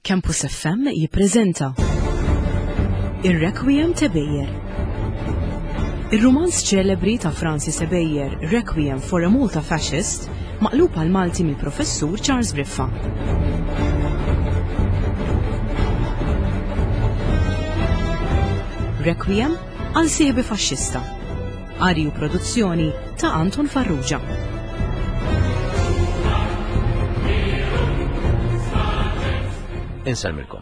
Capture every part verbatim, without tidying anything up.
Campus F M jippreżenta Ir-Requiem t'Ebejer. Ir-rumanz ċelebri ta' Francis Ebejer, Requiem for a Malta Fascist, maqlub għal Malti mill-Professur Charles Briffa. Requiem għal sieħbi faxxista. Qari u produzzjoni ta' Anton Farrugia. Insellmilkom.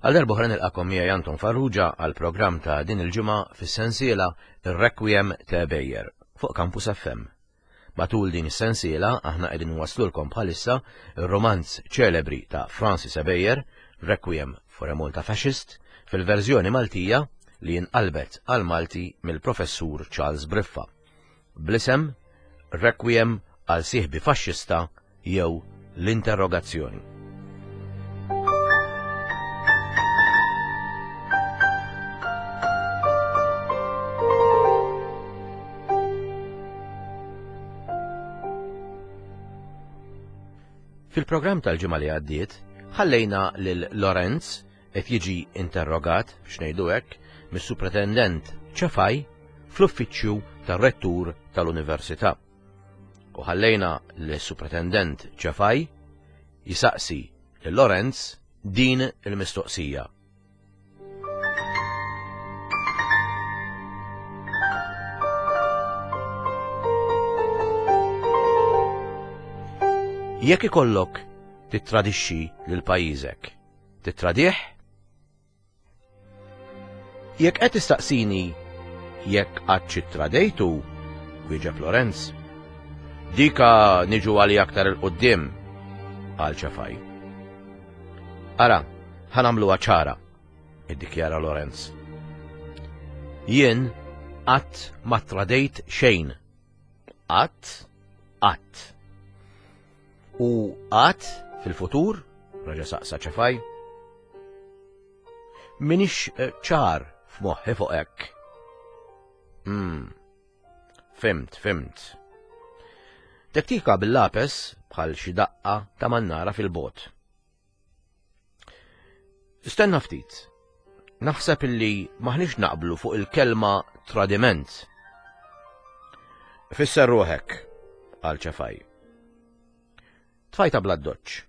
Għal darb'oħra nilqakom miegħi Anton Farrugia għal programm ta' din il-ġimgħa fis-sensiela Ir-Requiem ta' Ebejer fuq Campus F M. Matul din is-sensiela aħna qegħdin nwaslulkom bħalissa ir-romanz ċelebri ta' Francis Ebejer, Requiem for a Malta Fascist, fil-verżjoni Maltija li inqalbet għal Malti mill-Professur Charles Briffa. Bl-isem Requiem għal sieħbi faxxista jew l-interrogazzjoni. Fil-programm tal-ġimgħa li għaddiet, ħallejna lil Lorenz qed jiġi interrogat, biex ngħidu hekk, mis-Supretendent Ċefaj fl-uffiċċju tar-rettur tal-Università. U ħallejna lis-Supretendent Ċefaj jisaqsi lil Lorenz din il-mistoqsija. Jekk ikollok tittradixxi lil pajjiżek, tittradih? Jekk qed tistaqsini jekk qatt ittradejtu, wieġeb Lorenz. Dika niġu għali aktar 'il quddiem, qal Ċefaj. Ara, ħa nagħmluha ċara, iddikjara Lorenz. Jien qatt ma tradejt xejn. Qatt, qatt. U qatt fil-futur, reġa' saqsa Ċefaj. Minix eh, ċar f'moħħi fuq hekk. Hmm. Fhimt, fhimt. Tektika bil-lapes bħal xi daqqa ta' mannara fil-bogħod. Stenna ftit. Naħseb illi maħniex naqblu fuq il-kelma tradiment. Fisser ruħek, qal Ċefaj. Tfajta bl-addoċċ.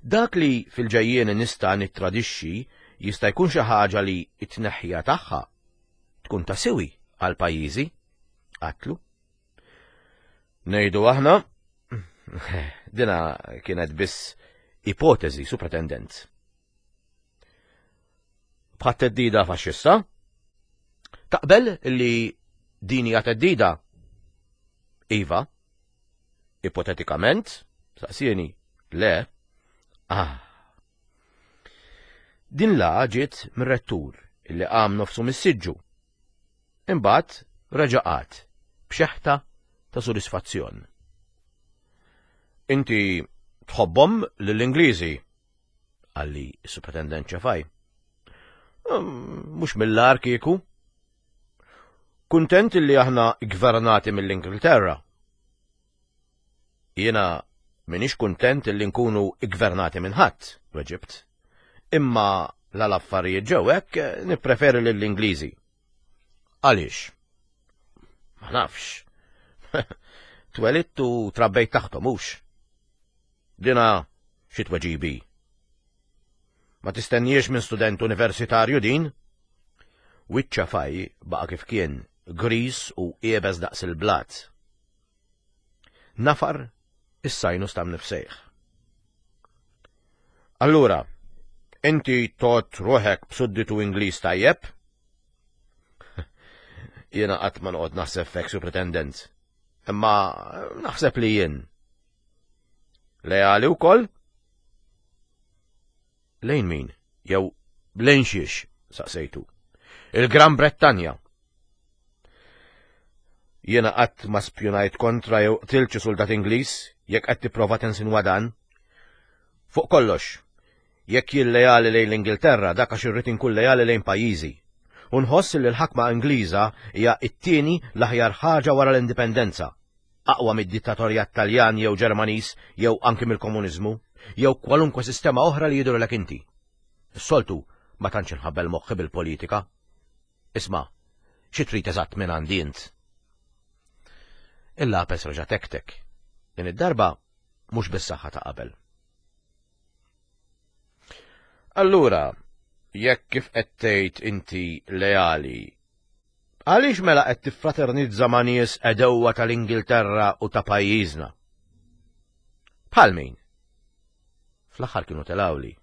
Dak li fil-ġejjieni nista' nittradixxi jista' jkun xi ħaġa li t-tneħħija tagħha tkun ta' siwi għal pajjiżi, għedtlu. Ngħidu aħna, dina kienet biss ipotezi, Supretendent. Bħat theddida faxxista? Taqbel li din hija theddida? Iva. Ipotetikament? Saqsieni. Le. Ah. Din la ġiet mir-rettur illi qam nofsu mis-siġġu. Imbagħad reġa' qagħad b'xeħta ta' sodisfazzjon. Inti tħobbhom lill-Ingliżi, qalli s-Supretendent Ċefaj. Mhux mill-agħar kieku. Kuntent li aħna gvernati mill-Ingilterra. Jiena minix kuntent li nkunu gvernati minn ħadd, weġibt. Imma la l-affarijiet ġew hekk nippreferi lill-Ingliżi. Għaliex? Ma nafx. Twelidt u trabbejt taħthom hux. Dina xi tweġiba. Ma tistenniex minn student universitarju din? Wiċċ Ċefaj baqa' kif kien, gris u iebes daqs il-blat. Nafar is-sinus ta' mnifsejh. Allura, inti tgħodd ruħek b'sudditu Ingliż tajjeb? Jiena qatt ma noqgħod naħseb fek, Supretendent. Imma naħseb li jien. Leali wkoll? Lejn min? Jew lejn xiex? Saqsejtu. Il-Gran Brettanja. Jiena qatt ma spjunajt kontra jew qtilt xi soldat Ingliż jekk qed tipprova tinsinwa dan. Fuq kollox, jekk jien lejali lejn l-Ingilterra dak għax irrid inkun lejali lejn pajjiżi. U nħoss li l-ħakma Ingliża hija t-tieni l-aħjar ħaġa wara l-indipendenza. Aqwa mid-dittatorjat Taljan jew Ġermaniż jew anki mill-komuniżmu. Jew kwalunkwe sistema oħra li jidhirlek inti. Is-soltu ma tantx inħabbel moħħi bil-politika. Isma', xi trid eżatt minn għandi int? Il-lapes reġa' tektek. Din id-darba mhux bis-saħħa ta' qabel. Allura, jekk kif qed tgħid inti leali, għaliex mela qed tiffraternizza ma' nies għedewwa tal-Ingilterra u ta' pajjiżna? Bħal min? Fl-aħħar kienu telawli.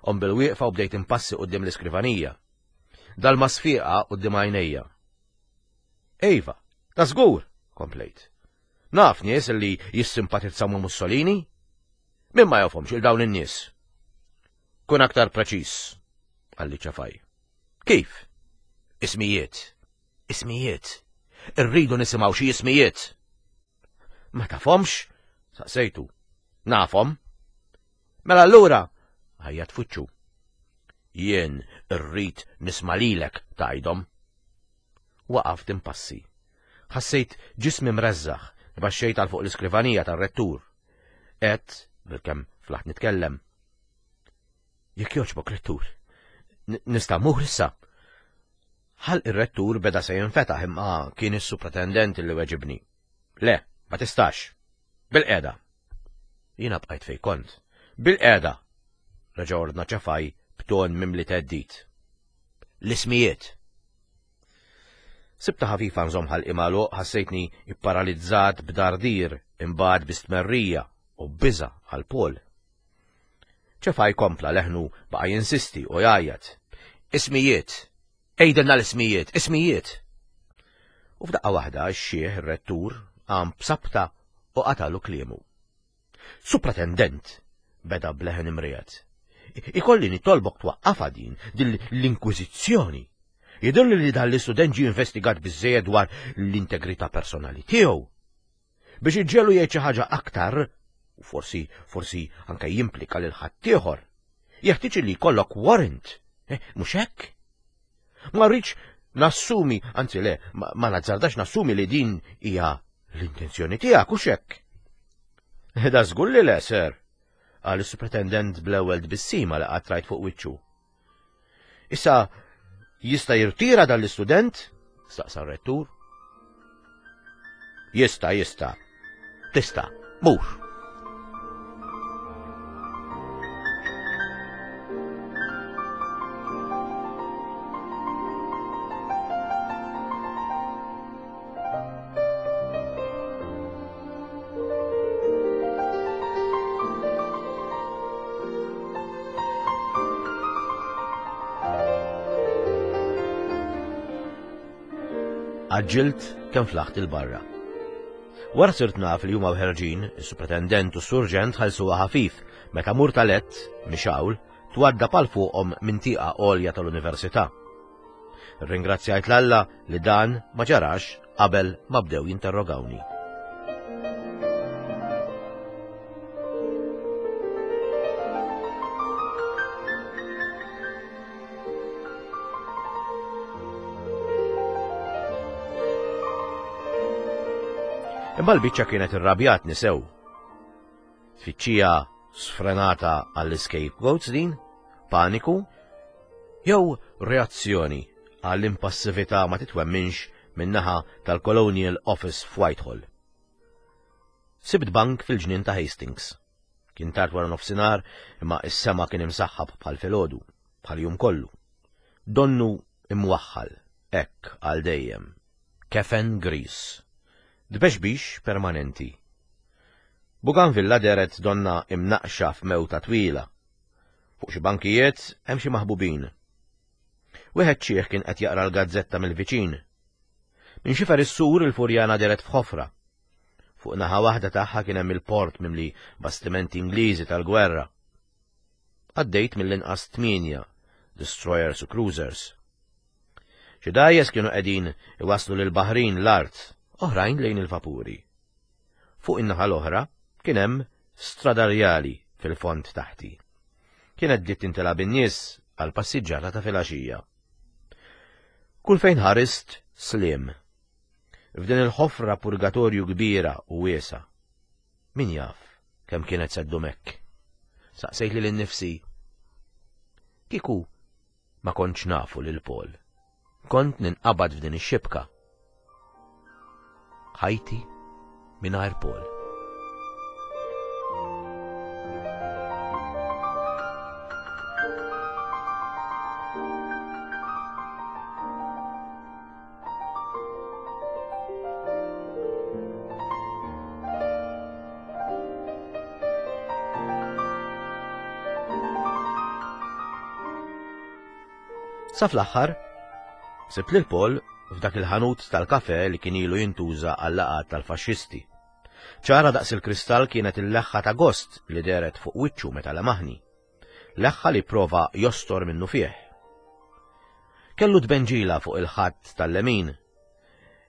Om bil-wieqfa u bdejt impassi quddiem l-iskrivanija. Dal-masfiqa quddiem għajnejja. Ejva, ta' żgur, komplejt. Naf nies li jissimpatizzaw ma' Mussolini? Min ma jafhomx il dawn in-nies? Kun aktar preċiż, qalli Ċafaj. Kif? Ismijiet. Ismijiet. Irridu nisimgħu xi ismijiet. Ma tafhomx? Saqsejtu. Nafhom. Mela allura, ħajja tfuċċu. Jien irrid nisma' lilek tgħidhom. Waqaft impassi. Ħassejt ġismi mreżżaħ, baxxejt għal fuq l-iskrivanija tar-rettur. Et, bilkemm flaħt nitkellem. Jekk jogħġbok rettur, nista' mmur issa. Ħalq ir-rettur beda se jinfetaħ imma kien is-supretendent li weġibni. Le, ma tistax. Bil-qiegħda. Jiena bqajt fejn kont. Bil-qiegħda. Reġa' ordna Ċafaj b'ton mimli theddid. L-ismijiet. Sibta ħafifa nżomm ħalqi magħluq, ħassejtni ipparalizzat b'dardir, imbagħad bi stmerrija u biża' għal Paul. Ċafaj kompla leħnu baqa' jinsisti u jgħajjat. Ismijiet! Għidilna l-ismijiet! Ismijiet! U f'daqqa waħda x-xieħ ir-rettur qam b'sabta u qatalu kliemu. Supretendent, beda b'leħen imriegħed. Ikolli nitolbok twaqqafha din, din l-inkwiżizzjoni. Jidhirli li dan l-istudent ġie investigat biżżejjed dwar l-integrità personali tiegħu. Biex iġġelu jgħid xi ħaġa aktar, u forsi, forsi anke jimplika lil ħaddieħor, jeħtieġ li jkollok warrant, eh, mhux hekk? Ma rridx nassumi, anzi le, ma, ma nazzardax nassumi li din hija l-intenzjoni tiegħek, hux hekk? Da żgur li le, sir, qal is-supretendent bl-ewwel tbissima li qatt rajt fuq wiċċu. Issa jista' jirtira dan l-istudent? Staqsa r-rettur. Jista', jista'. Tista', mur. Għaġġilt kemm flaħt il-barra. Wara sirt naf li huma ħerġin, is-supretendent u s-surġent ħallsuha ħafif meta murtalett, mixawl, twadda pal fuqhom minn tieqa għolja tal-università. Ringrazzjajt l-Alla li dan ma ġarax qabel ma bdew jinterrogawni. Imma l-biċċa kienet irrabjatni sew. Tfittxija sfrenata għall-scapegoats din, paniku, jew reazzjoni għall-impassività ma titwemminx min-naħa tal-Colonial Office f'Whitehall. Sibt bank fil-ġnien ta' Hastings. Kien tard wara nofsinhar, imma s-sema kien imsaħħab bħal filgħodu, bħal jum kollu. Donnu imwaħħal, hekk għal dejjem. Kefen gris. Dbexbix permanenti. Bougainvillea deret donna imnaqxa f'mewta twila. Fuq xi bankijiet hemm xi maħbubin. Wieħed ċieħ kien qed jaqra l-gazzetta mill-viċin. Minn xifer is-sur il-furjana deret f'ħofra. Fuq naħa waħda tagħha kien hemm il-port mimli bastimenti Ingliżi tal-gwerra. Għaddejt mill-inqas tmienja, destroyers u cruisers. Xi dgħajjes kienu qegħdin iwasslu lil baħrin l-art, oħrajn lejn il-vapuri. Fuq in-naħa l-oħra kien hemm stradarjali fil-fond taħti. Kienet bdiet tintilgħa bin-nies għal passiġġata ta' filgħaxija. Kull fejn ħarist slim. F'din il-ħofra purgatorju kbira u wiesa. Min jaf kemm kienet se ddum hekk. saqsejt lili nnifsi. Kieku ma kontx nafu lil Paul. Kont ninqabad f'din ix-xibka. Ħajti mingħajr Paul. Sa fl-aħħar, sibt lil Paul f'dak il-ħanut tal-kafe li kien ilu jintuża għal-laqgħat tal-faxxisti. Ċara daqs il-kristall kienet il-leħħa ta' gost li dehret fuq wiċċu meta lemaħni. Leħħa li prova jostor minnu fih. Kellu tbenġila fuq il-ħadd tal-lemin.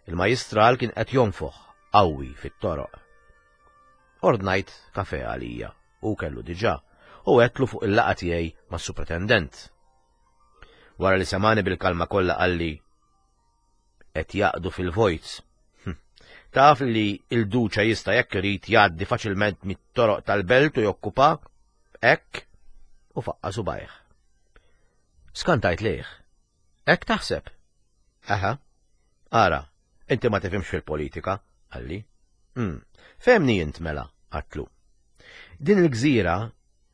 Il-majistral kien qed jonfoħ qawwi fit-toroq. Ordnajt kafe għalija u kellu diġà u għedtlu fuq il-laqgħa tiegħi mas-supretendent. Wara li semani bil-kalma kollha qalli qed jaqdu fil-vojt. Hm. Taf li il-duċa jista' jekk irid jgħaddi faċilment mit-toroq tal-belt u jokkupa hekk u faqqa subajh. Skantajt lejh. Hekk taħseb? Aha. Ara, inti ma tifhimx fil-politika, qalli. Mm. Fehmni int mela, għedtlu. Din il-gżira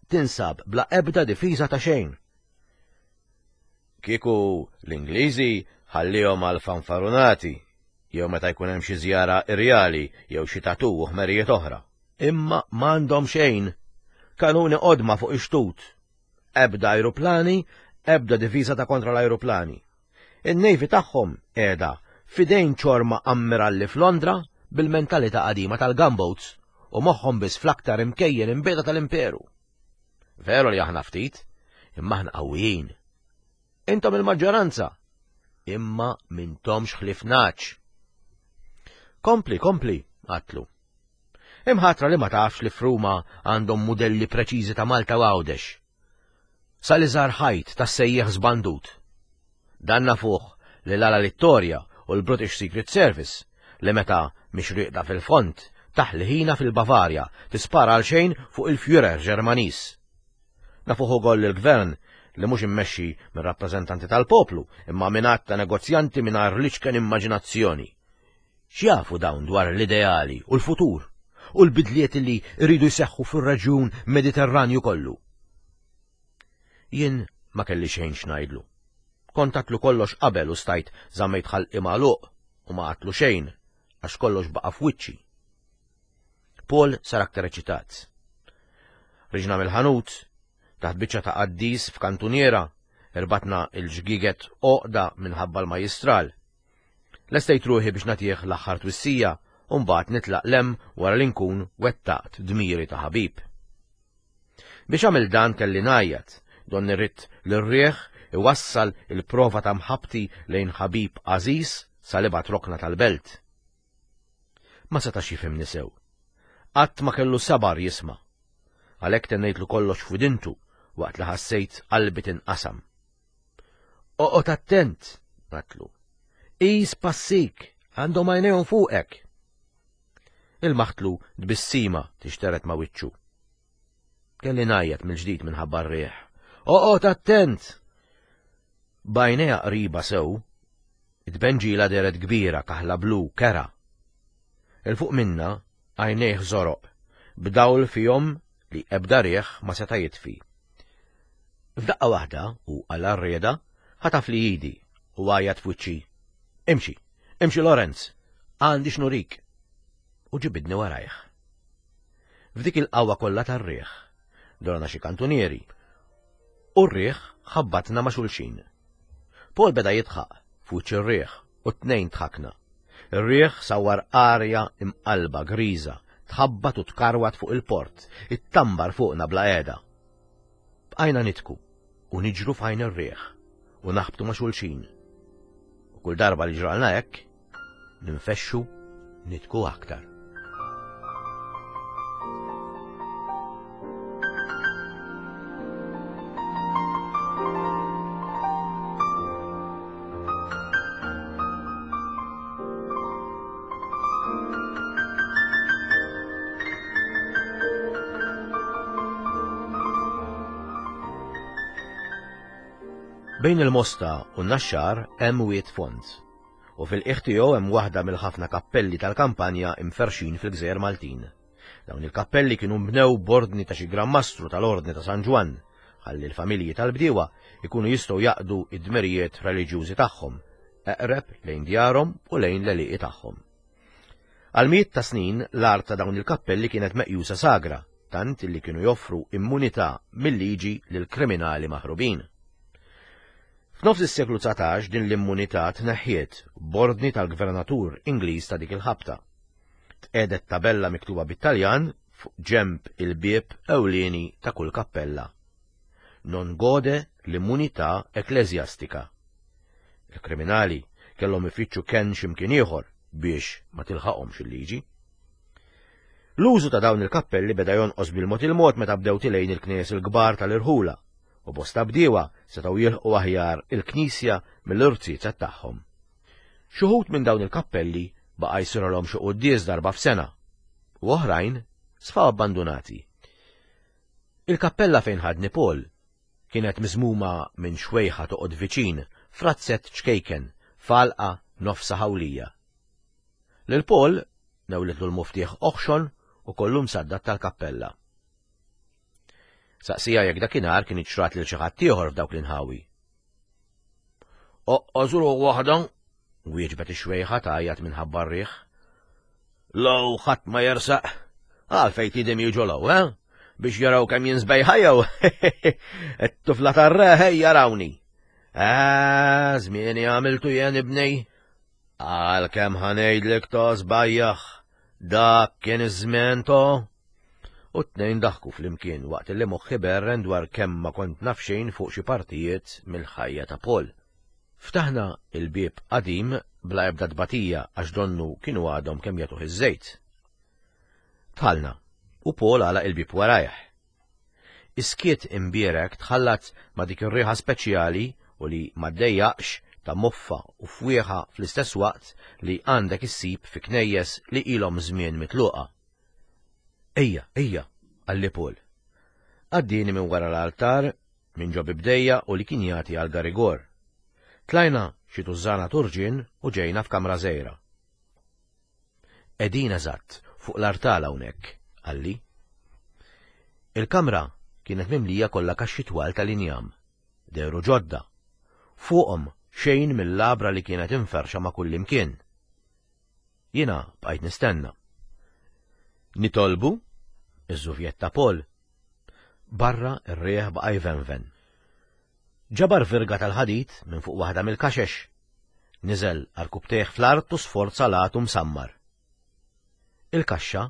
tinsab bla ebda difiża ta' xejn. Kieku l-Ingliżi ħallihom għal fanfarunati, jew meta jkun hemm xi żjara irjali jew xi tatu u ħmerijiet oħra. Imma m'għandhom xejn. Kanuni qodma fuq ix-xtut. Ebda ajruplani, ebda difiża ta' kontra l-ajruplani. In-Navy tagħhom qiegħda f'idejn ċorma ammiralli f'Londra bil-mentalità qadima tal-gunboats u moħħhom biss fl-aktar imkejjen imbiegħda tal-imperu. Veru li aħna ftit, imma aħna qawwijin. Intom il-maġġoranza, imma mintomx ħlief nagħaġ. Kompli, kompli, għedtlu. Imħatra li ma tafx li f'Ruma għandhom modelli preċiżi ta' Malta u Għawdex. Sal-iżgħar ħajt tas-sejjieħ żbandut. Dan nafuh li l-Ala Littoria u l-British Secret Service li meta mhix rieqda fil-fond taħli ħina fil-Bavarja tispara għal xejn fuq il-Führer Ġermaniż. Nafuh ukoll il-gvern li mhux immexxi minn rappreżentanti tal-poplu imma minn għadd ta' negozjanti mingħajr l-iċken immaġinazzjoni. X'jafu dawn dwar l-ideali u l-futur u l-bidliet li rridu jseħħu fir-reġjun Mediterranju kollu? Jien ma kelli xejn x'ngħidlu. Kont għedtlu kollox qabel u stajt żammejt ħalqi magħluq u ma għedtlu xejn għax kollox baqa' f'wiċċi. Paul sar aktar eċitat. Ħriġna mill-ħanut, taħt biċċa ta' qaddis f'kantuniera, irbatna il-ġgiget għoqda minħabba l-majistral. Lestejt ruħi biex nagħtih l-aħħar twissija u mbagħad nitlaq 'l hemm wara li nkun wettaqt dmiri ta' ħabib. Biex għamil dan kelli ngħajjat, donni rrid l-rieħ iwassal il-prova ta' mħabbti lejn ħabib għażiż sal-ibgħad rokna tal-belt. Ma setax jifhimni sew. Qatt ma kellu sabar jisma'. Għalhekk tennejtlu kollox f'widintu waqt li ħassejt qalbi tinqasam. Oqgħod attent, għedtlu. Qis passik, għandhom għajnejhom fuqek. Ilmaħtlu tbissima tixteret ma' wiċċu. Kelli ngħajjat mill-ġdid minħabba r-riħ. Oqgħod attent! B'għajnejha qriba sew, it-tbenġila dehret kbira kaħla blu kera. 'Il fuq minna għajnejh żoroq, b'dawl fihom li ebda riħ ma seta' jitfi. F'daqqa waħda u għal għarrieda ħataf li idi u għajjat f'wiċċi. Imxi, imxi Lorenz, għandi x'nurik. U ġibidni warajh. F'dik il-qawwa kollha tar-riħ, dorna xi kantunieri, u r-riħ ħabbatna ma' xulxin. Paul beda jidħaq f'wiċċ ir-riħ u t-tnejn dħakna. Ir-riħ sawar arja imqalba griża, tħabbat u tkarwat fuq il-port, ittambar fuqna bla qiegħda. Bqajna nidħku u niġru f'għajn ir-riħ u naħbtu ma' xulxin. U kull darba li ġralna hekk, ninfexxu nidħku aktar. Bejn il-Mosta u n-Naxxar hemm Wied Fond, u fil-qiegħ tiegħu hemm waħda mill-ħafna kappelli tal-kampanja imferxin fil-Gżejjer Maltin. Dawn il-kappelli kienu mbnew b'ordni ta' xi Gran Mastru tal-Ordni ta' San Ġwann, ħalli l-familji tal-bdiewa ikunu jistgħu jaqdu id-dmirijiet reliġjużi tagħhom, eqreb lejn djarhom u lejn l-għelieqi tagħhom. Għal mijiet ta' snin l-art ta' dawn il-kappelli kienet meqjusa sagra, tant li kienu joffru immunità mill-liġi lil kriminali maħrubin. F'nofs is-seklu dsatax din l-immunità tneħħiet b'ordni tal-gvernatur Ingliż ta' dik il-ħabta. Tqiegħdet tabella miktuba bit-Taljan fuq ġemb il-bieb ewlieni ta' kull kappella. Non gode l-immunità ekkleżjastika. Il-kriminali kellhom ifittxu kenn x'imkien ieħor biex ma tilħaqhomx il-liġi. L-użu ta' dawn il-kappelli beda jonqos bil-mod il-mod meta bdew tilgħin il-knejjes il-kbar tal-irħula u bosta bdiewa setgħu jilħqu aħjar il-knisja mill-irziezet tagħhom. Xi wħud minn dawn il-kappelli baqa' jsirulhom xi quddies darba f'sena u oħrajn sfaw abbandunati. Il-kappella fejn ħadni Paul kienet miżmuma minn xwejħa toqgħod viċin f'razzett ċkejken f'għalqa nofsa ħawlija. Lil Paul newlitlu l-muftieħ oħxon u kollu msaddad tal-kappella. Saqsija jekk dakinhar kien iċrat lil xi ħadd ieħor f'dawk l-inħawi. Oqqożuru waħda, wieġbet ix-xwejħa tgħajjat minħabba r-riħ. Law ħadd ma jersaq, għalfejn tidem jiġu law, eh? Biex jaraw kemm jien sbejħa jew. It-tufla tar-re jarawni. Ah, żmieni għamiltu jien ibnej. Għal kemm ħa ngħidlek to żbajjaħ, dak kien iż-żmien to. U t-tnejn daħku flimkien waqt li moħħi berren dwar kemm ma kont naf xejn fuq xi partijiet mill-ħajja ta' Paul. Ftaħna il-bieb qadim bla ebda tbatija għax donnu kienu għadhom kemm jagħtuh iż-żejt. Dħalna u Paul għalaq il-bieb warajh. Is-skiet imbierek tħallat ma' dik ir-riħa speċjali u li ma ddejjaqx ta' moffa u fwieħa fl-istess waqt li għandek issib fi knejjes li ilhom żmien mitluqa. Ejja, ejja, qalli Paul. Għaddini minn wara l-altar, minn ġo bibdejja u li kien jagħti għal garigor. Tlajna xi tużżana turġien u ġejna f'kamra żgħira. Qegħdin eżatt fuq l-artal hawnhekk, qalli. Il-kamra kienet mimlija kollha kaxxi twal tal-injam, dehru ġodda. Fuqhom xejn mill-labra li kienet inferxa ma' kullimkien. Jiena bqajt nistenna. Nitolbu? Iżżuvjetta Paul. Barra ir-rieħ baqa' jvenven. Ġabar virga tal-ħadid minn fuq waħda mill-kaxex. Niżel għarkupptejh fl-art u sforza l-għatu msammar. Il-kaxxa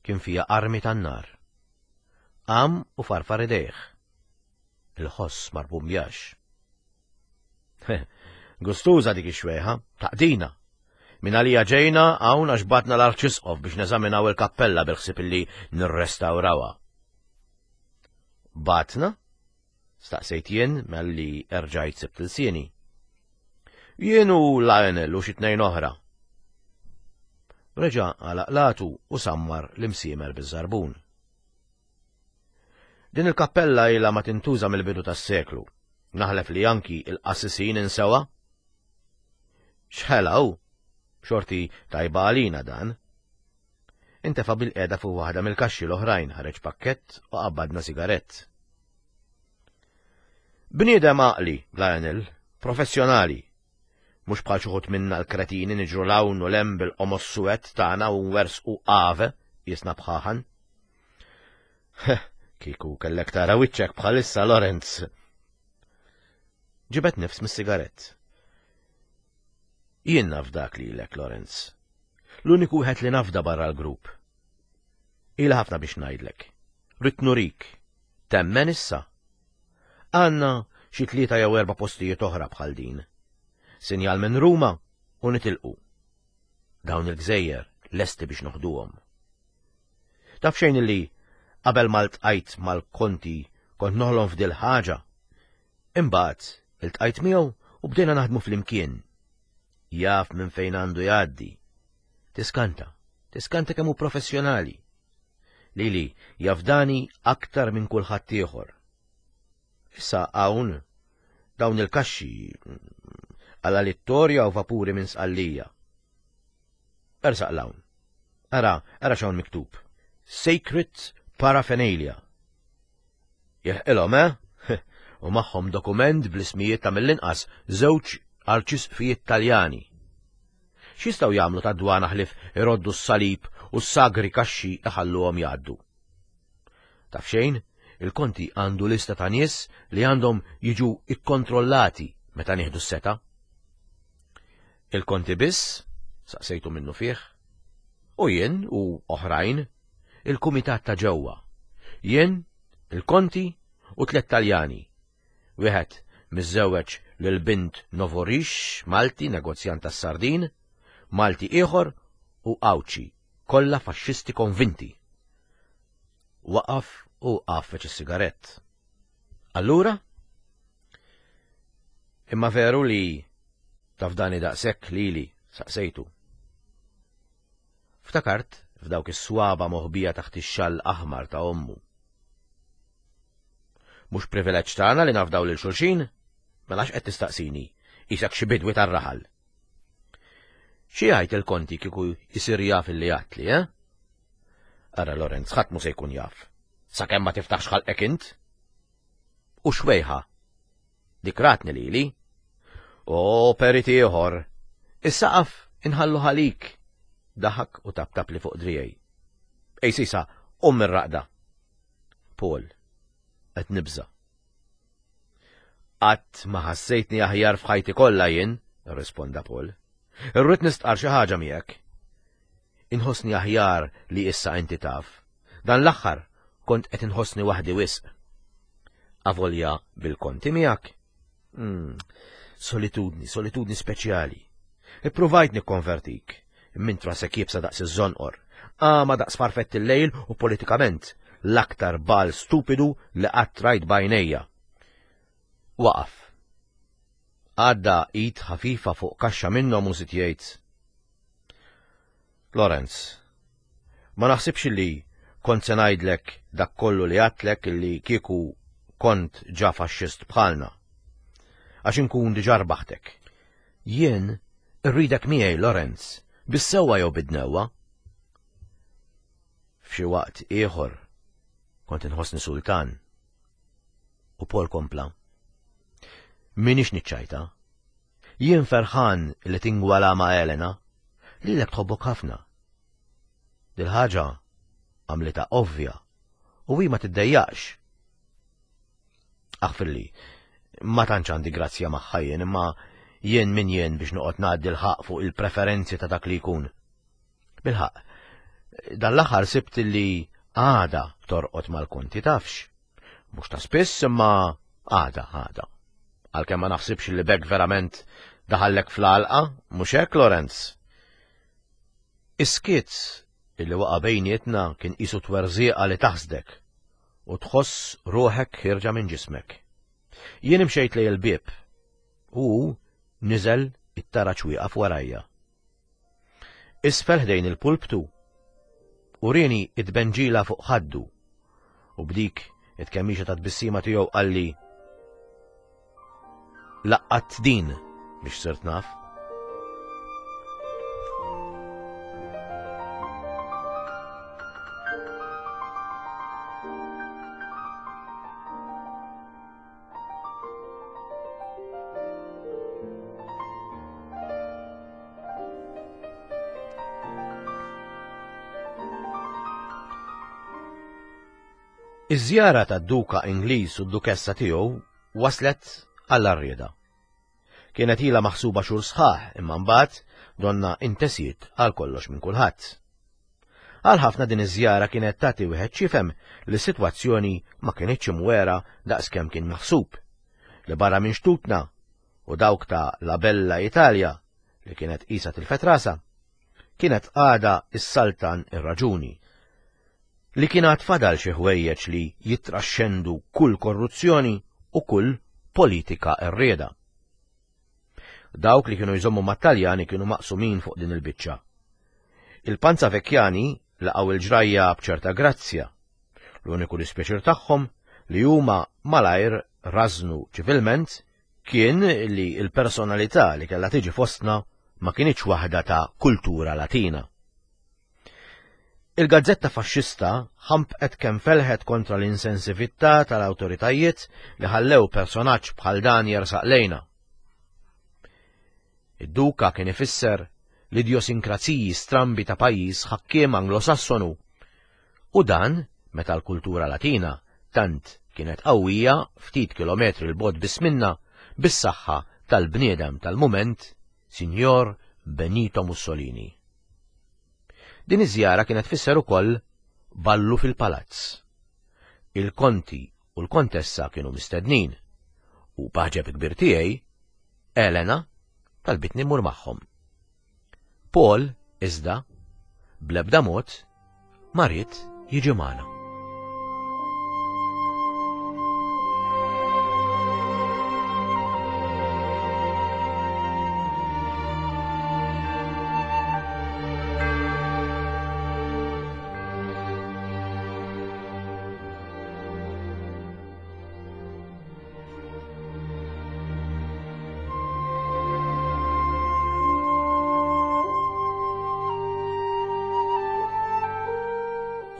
kien fija armi tan-nar. Qam u farfar idejh. Il-ħoss ma rbumbjax. Gustuża dik ix-xwejħa, taqdina. Min għalija ġejna hawn għax batna l-arċisqof biex neżaminaw il-kappella bil-ħsieb illi nirrestawrawha. Batna? Staqsejt jien malli erġajt sibt ilsieni. Jien u Lionel u xi tnejn oħra. Reġa' għalaq l-għatu u sammar l-imsiemer biż-żarbun. Din il-kappella ilha ma tintuża mill-bidu tas-seklu. Naħlef li anki il-qassisin insewha. X'ħela hu? Xorti tajba għalina dan. Intefa' bil-qiegħda fuq waħda mill-kaxxi l-oħrajn, ħareġ pakkett u qabbadna sigarett. Bniedem għaqli, Lionel, professjonali. Mhux bħal xi wħud minna l-kretini niġru 'l hawn u 'l hemm bil-qomos suwed tagħna u nwersqu ave jisna bħaħan. Kieku kellek tara wiċċek bħalissa, Lorenz. Ġibed nifs mis-sigarett. Jien nafdak lilek, Lorenz. L-uniku wieħed li nafda barra l-grupp. Ila ħafna biex ngħidlek. Ridt nurik. Temmen issa. Għandna xi tlieta jew erba' postijiet oħra bħal din. Sinjal minn Ruma u nitilqu. Dawn il-gżejjer lesti biex noħduhom. Taf xejn li qabel ma ltqajt mal-konti kont noħlom f'dil ħaġa. Imbagħad iltqajt miegħu u bdejna naħdmu flimkien. Jaf minn fejn għandu jgħaddi. Tiskanta, tiskanta kemm hu professjonali. Lili jafdani aktar minn kulħadd ieħor. Issa hawn Dawn il-kaxxi għala Littoria u vapuri minn Sqallija. Ersaq 'l hawn. Ara, ara x'hawn miktub. Sacred Paraphernalia. Jeħqilhom, eh? U magħhom dokument bl-ismijiet ta' mill-inqas żewġ arċisqfijiet Taljani. X'jistgħu jagħmlu tad-dwana ħlief iroddu s-salib u s-sagri kaxxi iħalluhom jgħaddu. Taf xejn, il-konti għandu lista ta' nies li għandhom jiġu ikkontrollati meta nieħdu s-setgħa. Il-konti biss, saqsejtu minnu fih, u jien u oħrajn, il-kumitat ta' ġewwa. Jien, il-konti u tliet Taljani. Wieħed miżżewweġ lil bint Novorix, Malti, negozjant tas-sardin, Malti ieħor u Għawdxi, kollha faxxisti konvinti. Waqaf u għaffeċ is-sigarett. Allura? Imma veru li tafdani daqshekk lili, saqsejtu. Ftakart f'dawk is-swaba moħbija taħt ix-xall aħmar ta' ommu. Mhux privileġġ tagħna li nafdaw lil xulxin? Mela x'qed tistaqsini, isek xi bidwi tar-raħal. Xi jgħid il-konti kieku jsir jaf illi għatli, eh? Ara Lorenz, ħadd mhu se jkun jaf. Sakemm ma tiftaħx ħalqek int. U xwejħa. Dik ratni lili. O perit ieħor. Is-saqaf inħallu ħalik. Daħak u taptap li fuq drijej. Ej sisa, um mir-raqda. Paul, qed nibża. Qatt ma ħassejtni aħjar f'ħajti kollha jien, risponda Paul. Irrid nistqar xi ħaġa miegħek. Inħossni aħjar li issa inti taf. Dan l-aħħar kont qed inħossni waħdi wisq. Avolja bil-konti miegħek. Mm, solitudni, solitudni speċjali. Ippruvajt nikkonvertik. Mint rasek iebsa daqs iż-żonqor. Għama daqs farfett il-lejl u politikament l-aktar bal stupidu li qatt rajt b'għajnejja. Waqaf. Għadda id ħafifa fuq kaxxa minnhom u żied jgħid. Lorenz, ma naħsibx li kont se ngħidlek dak kollu li għedtlek illi kieku kont ġa faxxist bħalna. Għax inkun diġà rbaħtek. Jien irridek miegħi Lorenz, bis-sewwa jew bid-dnewwa. F'xi waqt ieħor kont inħossni sultan. U Paul kompla. Minix niċċajta. Jien ferħan li tingwala ma' Elena, lilek tħobbok ħafna. Dil-ħaġa għamlita ovvja u hi ma tiddejjaqx. Aħfirli, ma tantx għandi grazzja magħha jien, imma jien min jien biex noqgħod ngħaddi l-ħaq fuq il-preferenzi ta' dak li jkun. Bil-ħaq, dan l-aħħar sibt li għada torqod mal-konti tafx. Mhux ta' spiss imma għada għada. Għalkemm ma naħsibx li bek verament daħallek fl-għalqa, mhux hekk Lorenz? Is-skiet illi waqa' bejnietna kien qisu twerżieqa li taħsdek u tħoss ruħek ħierġa minn ġismek. Jien imxejt lejn il-bieb u niżel it-taraġ wieqaf warajja. Isfel ħdejn il-pulptu urieni it-benġila fuq ħaddu u b'dik it-kemmixa ta' tbissima tiegħu qalli laqqat din biex sirt naf. Iż-żjara tad-Duka Ingliż u d-Dukessa tiegħu waslet għall-arrieda. Kienet ilha maħsuba xhur sħaħ imma mbagħad donna intesiet għal kollox minn kulħadd. Għal ħafna din iż-żjara kienet tagħti wieħed x'jifhem li s-sitwazzjoni ma kinitx imwera daqskemm kien maħsub, li barra minn xtutna u dawk ta' La Bella Italia li kienet qisha tilfet rasha, kienet għada s-saltan ir-raġuni li kien għad fadal xi ħwejjeġ li jitraxxendu kull korruzzjoni u kull politika errieda. Dawk li kienu jżommu mat-Taljani kienu maqsumin fuq din il-biċċa. Il-Panza Vecchiani laqgħu il-ġrajja b'ċerta grazzja. L-uniku dispjaċir tagħhom li huma malajr rażnu ċivilment kien li l-personalità li kellha tiġi fostna ma kinitx waħda ta' kultura Latina. Il-gazzetta faxxista ħampqet kemm felħet kontra l-insensività tal-awtoritajiet li ħallew personaġġ bħal dan jersaq lejna. Id-duka kien ifisser l-idjosinkraziji strambi ta' pajjiż ħakkiem Anglosassonu, u dan meta l-kultura Latina tant kienet qawwija ftit kilometri 'l bogħod biss minna bis-saħħa tal-bniedem tal-mument, Sinjor Benito Mussolini. Din iż-żjara kienet tfisser ukoll ballu fil-palazz. Il-konti u l-kontessa kienu mistednin, u b'għaġeb kbir tiegħi, Elena talbitni mmur magħhom. Paul, iżda, bl-ebda mod, ma ried jiġi magħna.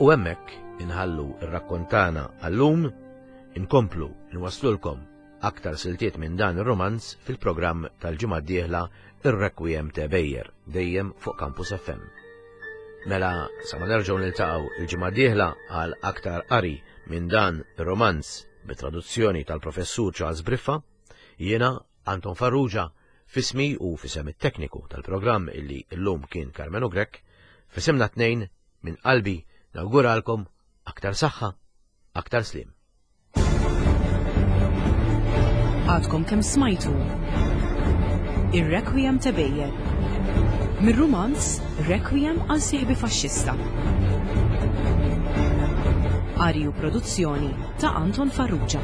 U hemmhekk inħallu r-rakkontana għallum, inkomplu nwaslulkom aktar siltiet minn dan ir-romanz fil-programm tal-ġimgħa d-dieħla Ir-Requiem te Bejer, dejjem fuq Campus F M. Mela sa ma nerġgħu niltaqgħu il-ġimgħa d-dieħla għal aktar qari minn dan ir-romanz bit-traduzzjoni tal-Professur Charles Briffa, jiena Anton Farrugia, fismi u fisem it-tekniku tal-programm illi llum kien Karmenu Grech, fisimna tnejn minn qalbi nawguralkom aktar saħħa, aktar slim. Għadkom kemm smajtu Ir-Requiem te Bejer mir-rumanz Requiem għal sieħbi faxxista. Qari u produzzjoni ta' Anton Farrugia.